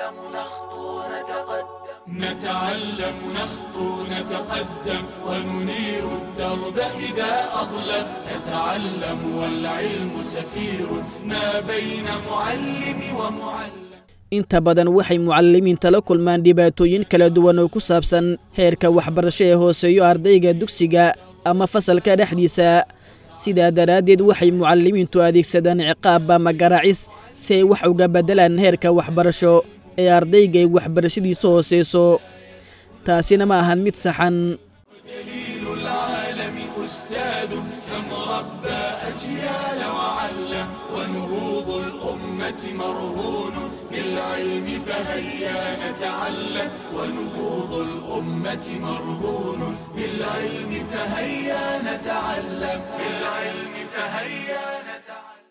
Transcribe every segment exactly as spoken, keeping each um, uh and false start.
نتعلم نخطو نتقدم نتعلم نخطو نتقدم وننير الدرب إذا أظلم نتعلم والعلم سفير ما بين معلم ومعلم. Inta badan waxay mucalimiinta la kulmaan dhibaatooyin kala duwan oo ku saabsan heerka waxbarasho ee hooseeyo ardayga dugsiga ama fasalka dhexdiisa. Sidaa daraaddeed waxay mucalimiintu adeegsadaan ciqaab ama garaacis si ay wax uga beddelaan heerka waxbarasho ee ardayga ay waxbarashadiisu hooseyso. Taasina ma ahan mid saxan. دليل العالم أستاذ كم ربى أجيال وعلم ونهوض الأمة مرهون بالعلم فهيا نتعلم ونهوض الأمة مرهون بالعلم فهيا نتعلم بالعلم فهيا نتعلم.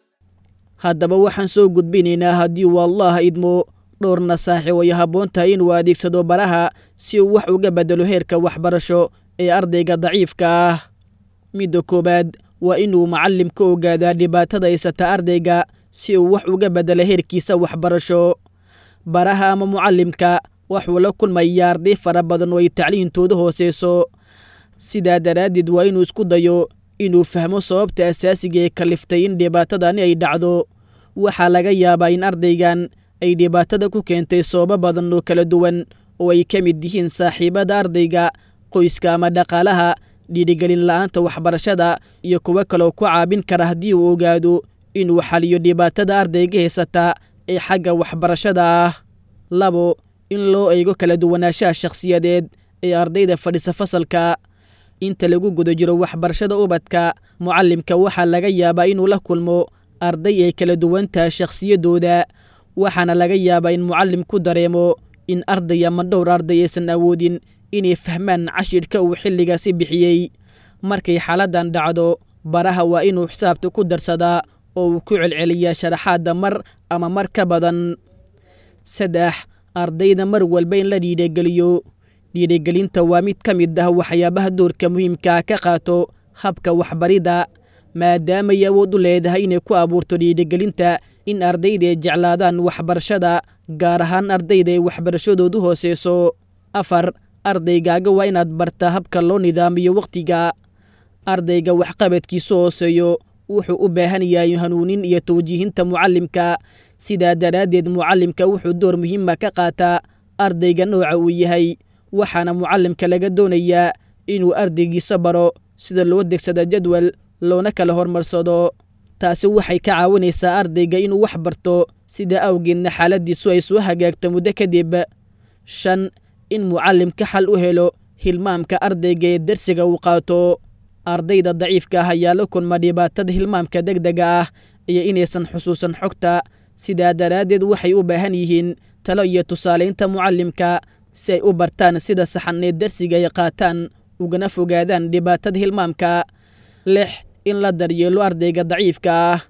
Haddaba waxaan soo gudbinaynaa haddii uu Allah idmo dhowr nasaaxi oo ay habboon tahay inuu adeegsado baraha si uu wax uga beddelo heerka waxbarasho ee ardayga daciifka ah. Midda koowaad waa inuu macallimka ogaadaa dhibaatada haysata ardayga si uu wax uga beddelo heerkiisa waxbarasho. Baraha ama mucallimka wuxuu la kulmayaa arday fara badan oo ay tacliintoodu hooseyso. Sidaa daraaddeed waa inuu isku dayo inuu fahmo sababta asaasiga ee kaliftay in dhibaatadani ay dhacdo. Waxaa laga yaabaa in ardaygan ay dhibaatada ku keentay sababo badan oo kala duwan oo ay ka mid yihiin saaxiibada ardayga, qoyska ama dhaqaalaha, dhiirigelin la'aanta waxbarashada iyo kuwo kaloo ku caawin kara haddii uu ogaado inuu xaliyo dhibaatada ardayga haysata ee xagga waxbarashada ah. Labo, in loo eego kala duwanaanshaha shakhsiyadeed ee ardayda fadhisa fasalka. Inta lagu guda jiro waxbarashada ubadka, mucallimka waxaa laga yaabaa inuu la kulmo arday ay kala duwan tahay shakhsiyaddooda, waxaana laga yaabaa in mucallimku dareemo in arday ama dhowr arday aysan awoodin inay fahmaan cashirka uu xilligaasi bixiyey. Markay xaaladdan dhacdo, baraha waa inuu xisaabta ku darsadaa oo uu ku celceliyaa sharaxaadda mar ama mar ka badan. Saddex, ardayda mar walba in la dhiirigeliyo. Dhiirigelinta waa mid ka mid ah waxyaabaha doorka muhiimka ah ka qaato habka waxbaridda, maadaama ay awood u leedahay inay ku abuurto dhiirigelinta in ardayda ay jeclaadaan waxbarashada, gaar ahaan ardayda ay waxbarashadoodu hooseyso. Afar, ardaygaaga waa inaad bartaa habka loo nidaamiyo waqtiga. Ardayga waxqabadkiisu hooseeyo wuxuu u baahan yahay hanuunin iyo tawjiihinta mucallimka. Sidaa daraaddeed mucallimka wuxuu door muhiima ka qaataa ardayga nooca uu yahay, waxaana mucallimka laga doonayaa inuu ardaygiisa baro sida loo degsado jadwal loona kala horumarsado. Taasi waxay ka caawinaysaa ardayga inuu wax barto, sida awgeedna xaaladdiisu ay soo hagaagto muddo kadib. Shan, in mucallimka xal u helo hilmaamka ardayga ee darsiga uu qaato. Ardayda daciifka ah ayaa la kulma dhibaatada hilmaamka degdega ah iyo inaysan xusuusan xogta. Sidaa daraaddeed waxay u baahan yihiin talo iyo tusaalaynta mucallimka si ay u bartaan sida saxan ee darsiga ay qaataan ugana fogaadaan dhibaatada hilmaamka. Lix, in la daryeelo ardayga daciifka ah.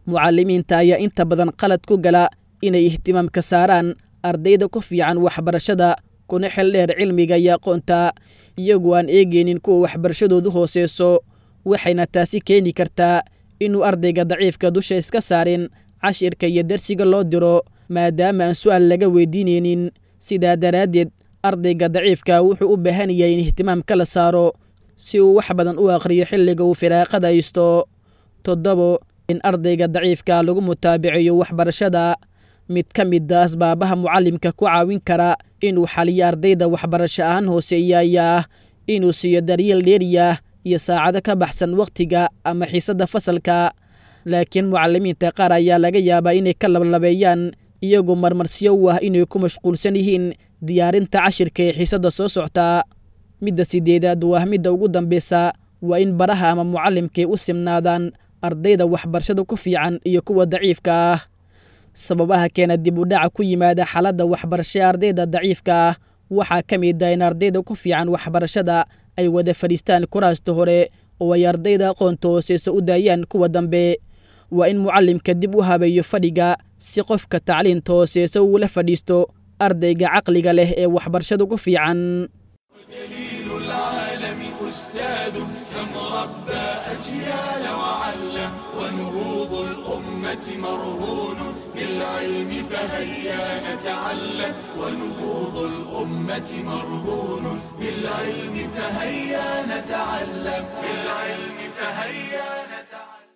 Mucallimiinta ayaa inta badan qalad ku gala inay ihtimaamka saaraan ardayda ku fiican waxbarashada kuna xil dheer cilmiga iyo aqoonta, iyagoo aan eegaynin kuwa waxbarashadoodu hooseyso. Waxayna taasi keeni kartaa inuu ardayga daciifka dusha iska saarin cashirka iyo darsiga loo diro, maadaama aan su'aal laga weydiinaynin. Sidaa daraaddeed ardayga daciifka wuxuu u baahan yahay in ihtimaamka la saaro si uu wax badan u akhriyo xilliga uu firaaqada haysto. Toddobo, in ardayga daciifka lagu mutaabiceeyo waxbarashada. Mid ka mid ah asbaabaha mucallimka ku caawin kara inuu xaliyo ardayda waxbarasho ahaan hooseeya ayaa ah inuu siiyo daryeel dheeri ah iyo saacado ka baxsan waqtiga ama xiisadda fasalka. Laakiin mucallimiinta qaar ayaa laga yaabaa inay ka lablabeeyaan, iyagoo marmarsiyo u ah inay ku mashquulsan yihiin diyaarinta cashirka ee xiisadda soo socta. Midda sideedaad waa midda ugu dambeysa, waa in baraha ama mucallimkay u simnaadaan ardayda waxbarashada ku fiican iyo kuwa daciifka ah. Sababaha keena dib u dhaca ku yimaada xaaladda waxbarasho ee ardayda daciifka ah waxaa ka mid ah in ardayda ku fiican waxbarashada ay wada fadhiistaan kuraasta hore oo ay ardayda aqoonta hooseysa u daayaan kuwa dambe. Waa in mucallimka dib u habeeyo fadhiga si qofka tacliinta hooseysa uula fadhiisto ardayga caqliga leh ee waxbarashada ku fiican. دليل العالم أستاذ كم ربى أجيال وعلم ونهوض الأمة مرهون بالعلم فهيا نتعلم، ونهوض الأمة مرهون بالعلم فهيا نتعلم، بالعلم فهيا نتعلم.